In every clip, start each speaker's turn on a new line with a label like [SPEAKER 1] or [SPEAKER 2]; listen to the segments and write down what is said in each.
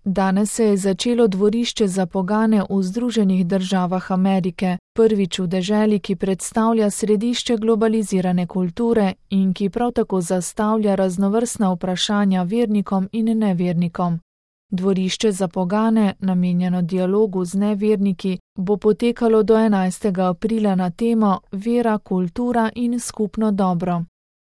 [SPEAKER 1] Danes se je začelo dvorišče za pogane v Združenih državah Amerike, prvič v deželi, ki predstavlja središče globalizirane kulture in ki prav tako zastavlja raznovrstna vprašanja vernikom in nevernikom. Dvorišče za pogane, namenjeno dialogu z neverniki, bo potekalo do 11. aprila na temo Vera, kultura in skupno dobro.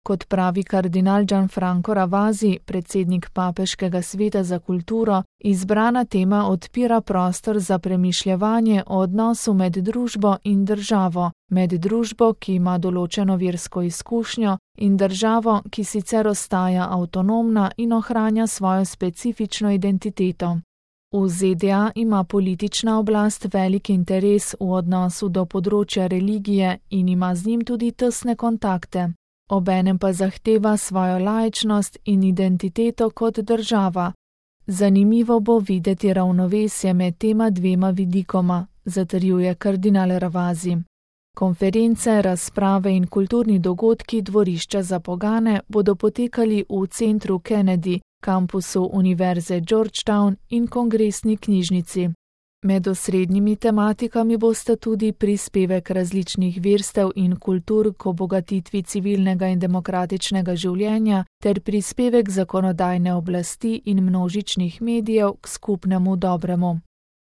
[SPEAKER 1] Kot pravi kardinal Gianfranco Ravasi, predsednik Papeškega sveta za kulturo, izbrana tema odpira prostor za premišljevanje o odnosu med družbo in državo, med družbo, ki ima določeno versko izkušnjo, in državo, ki sicer ostaja avtonomna in ohranja svojo specifično identiteto. V ZDA ima politična oblast velik interes v odnosu do področja religije in ima z njim tudi tesne kontakte. Obenem pa zahteva svojo laičnost in identiteto kot država. Zanimivo bo videti ravnovesje med tema dvema vidikoma, zatrjuje kardinal Ravasi. Konference, razprave in kulturni dogodki dvorišča za pogane bodo potekali v centru Kennedy, kampusu Univerze Georgetown in kongresni knjižnici. Med osrednjimi tematikami bosta tudi prispevek različnih verstev in kultur k obogatitvi civilnega in demokratičnega življenja ter prispevek zakonodajne oblasti in množičnih medijev k skupnemu dobremu.